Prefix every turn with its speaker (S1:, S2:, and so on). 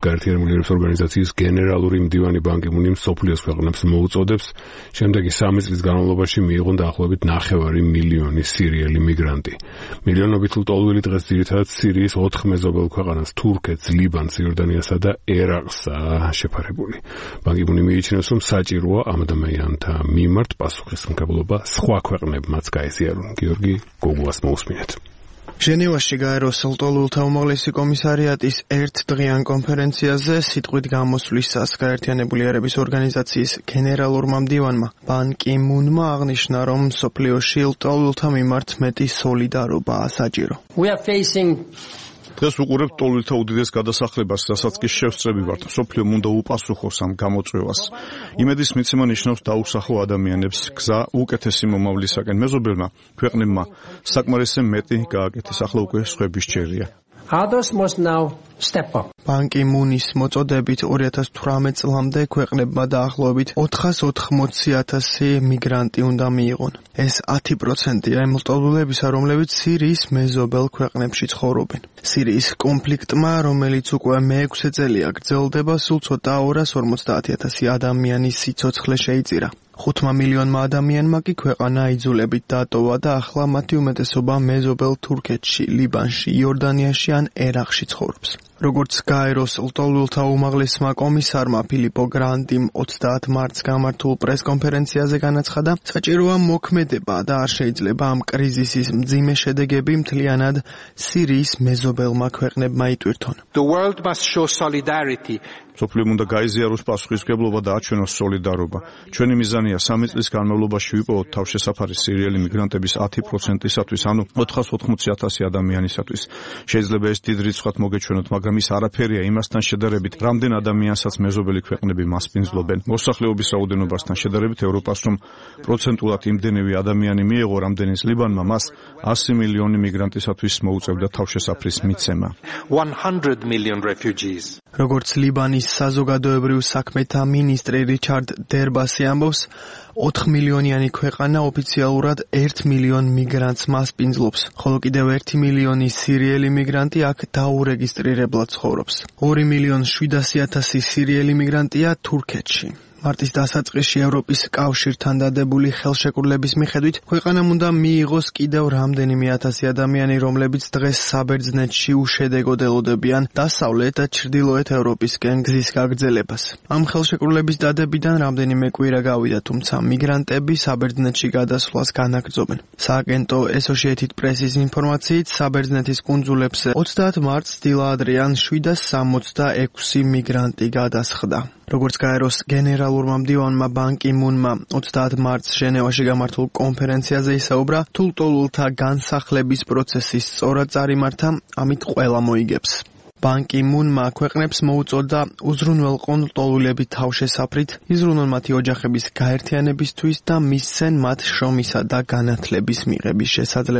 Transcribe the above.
S1: გაერთიანებული ერების ორგანიზაციის გენერალური მდივანი ბან კი მუნი მსოფლიოს ქვეყნებს მოუწოდებს შემდეგი 3 წლის განმავლობაში მიიღონ დაახლოებით 9 მილიონი სირიელი მიგრანტი. მილიონობით ლტოლვილი დღეს ძირითადად სირიის 4 მეზობელ ქვეყანას თურქეთს, ლიბანს, იორდანიასა და ერაყსა შეფარებული. ბან კი მუნი მიიჩნევს, რომ საჭიროა ამ ადამიანთა მიმართ პასუხისმგებლობა სხვა ქვეყნებმაც გაეზიარონ. გიორგი გოგუას მოусმინეთ.
S2: ჟენევაში გაეროს ლტოლვილთა უმაღლესი კომისარიატის ერთდღიან კონფერენციაზე სიტყვით გამოსვლისას გაერთიანებული ერების ორგანიზაციის გენერალურმა მდივანმა ბან კი მუნმა აღნიშნა, რომ მსოფლიოში ლტოლვილთა მიმართ მეტი სოლიდარობაა საჭირო.
S3: დღეს ვუყურებთ ლტოლვილთა უდიდეს გადასახლებას, რასაც კი შევსწრები ვართ. მსოფლიომ უნდა უპასუხოს ამ გამოწვევას. იმედის მიცემა ნიშნავს დაუსახო ადამიანებს გზა უკეთესი მომავლისაკენ. მეზობელმა ქვეყნებმა საკმარისზე მეტი გააკეთეს, ახლა უკვე სხვების ჯერია.
S4: Others must now step up.
S2: ბან კი მუნის მოწოდებით 2018 წლამდე ქვეყნებმა დაახლოებით 480,000 მიგრანტი უნდა მიიღონ. ეს 10%-ია იმ ლტოლვილებისა, რომლებიც სირიის მეზობელ ქვეყნებში ცხოვრობენ. სირიის კონფლიქტმა, რომელიც უკვე მე-6 წელია გრძელდება, სულ ცოტა 250,000 ადამიანის სიცოცხლე შეიწირა. 5 მილიონმა ადამიანმა კი ქვეყანა იძულებით დატოვა და ახლა მათი უმეტესობა მეზობელ თურქეთში, ლიბანში, იორდანიაში ან ერაყში ცხოვრობს. როგორც გაეროს ლტოლვილთა უმაღლესმა კომისარმა ფილიპო გრანდიმ 30 მარტს გამართულ პრესკონფერენციაზე განაცხადა, საჭიროა მოქმედება და არ შეიძლება ამ კრიზისის მძიმე შედეგები მთლიანად სირიის მეზობელმა ქვეყნებმა იტვირთონ.
S4: The world must show solidarity.
S3: მსოფლიომ უნდა გაიზიაროს პასუხისმგებლობა და აჩვენოს სოლიდარობა. ჩვენი მიზანია 3 წლის განმავლობაში ვიპოვოთ თავშესაფარი სირიელი მიგრანტების 10%-ისათვის, ანუ 480,000 ადამიანისათვის. შეიძლება ეს დიდ რიცხვად მოგეჩვენოთ, მაგრამ ის არაფერია იმასთან შედარებით, რამდენ ადამიანსაც მეზობელი ქვეყნები მასპინძლობენ. მოსახლეობის რაოდენობასთან შედარებით ევროპას რომ პროცენტულად იმდენივე ადამიანი მიეღო, რამდენიც ლიბანმა, მას 100 მილიონი მიგრანტისათვის მოუწევდა თავშესაფრის მიცემა.
S4: 100 million refugees.
S2: როგორც ლიბანის საზოგადოებრივ საქმეთა მინისტრი რიჩარდ დერბასი ამბობს, 4 მილიონიანი ქვეყანა ოფიციალურად 1 მილიონ მიგრანტს მასპინძლობს, ხოლო კიდევ 1 მილიონი სირიელი მიგრანტი აქ დაურეგისტრირებლად ცხოვრობს. 2,700,000 სირიელი მიგრანტია თურქეთში. მარტის დასაწყისში ევროპის კავშირთან დადებული ხელშეკრულების მიხედვით ქვეყანამ უნდა მიიღოს კიდევ რამდენიმე ათასი ადამიანი, რომლებიც დღეს საბერძნეთში უშედეგოდ ელოდებიან დასავლეთ და ჩრდილოეთ ევროპისკენ გზის გაგრძელებას. ამ ხელშეკრულების დადებიდან რამდენიმე კვირა გავიდა, თუმცა მიგრანტები საბერძნეთში გადასვლას განაგრძობენ. სააგენტო Associated Press-ის ინფორმაციით, საბერძნეთის კუნძულებზე 30 მარტს დილადრიან 766 მიგრანტი გადასხდა. როგორც გაეროს გენერალურმა მდივანმა ბან კი მუნმა 30 მარტს ჟენევაში გამართულ კონფერენციაზე ისაუბრა, თუ ლტოლვილთა განსახლების პროცესი სწორად წარიმართა, ამით ყველა მოიგებს. ბან კი მუნმა ქვეყნებს მოუწოდა უზრუნველყონ ლტოლვილები თავშესაფრით, იზრუნონ მათი ოჯახების გაერთიანებისთვის და მისცენ მათ შრომისა და განათლების მიღების შესაძლებლობა.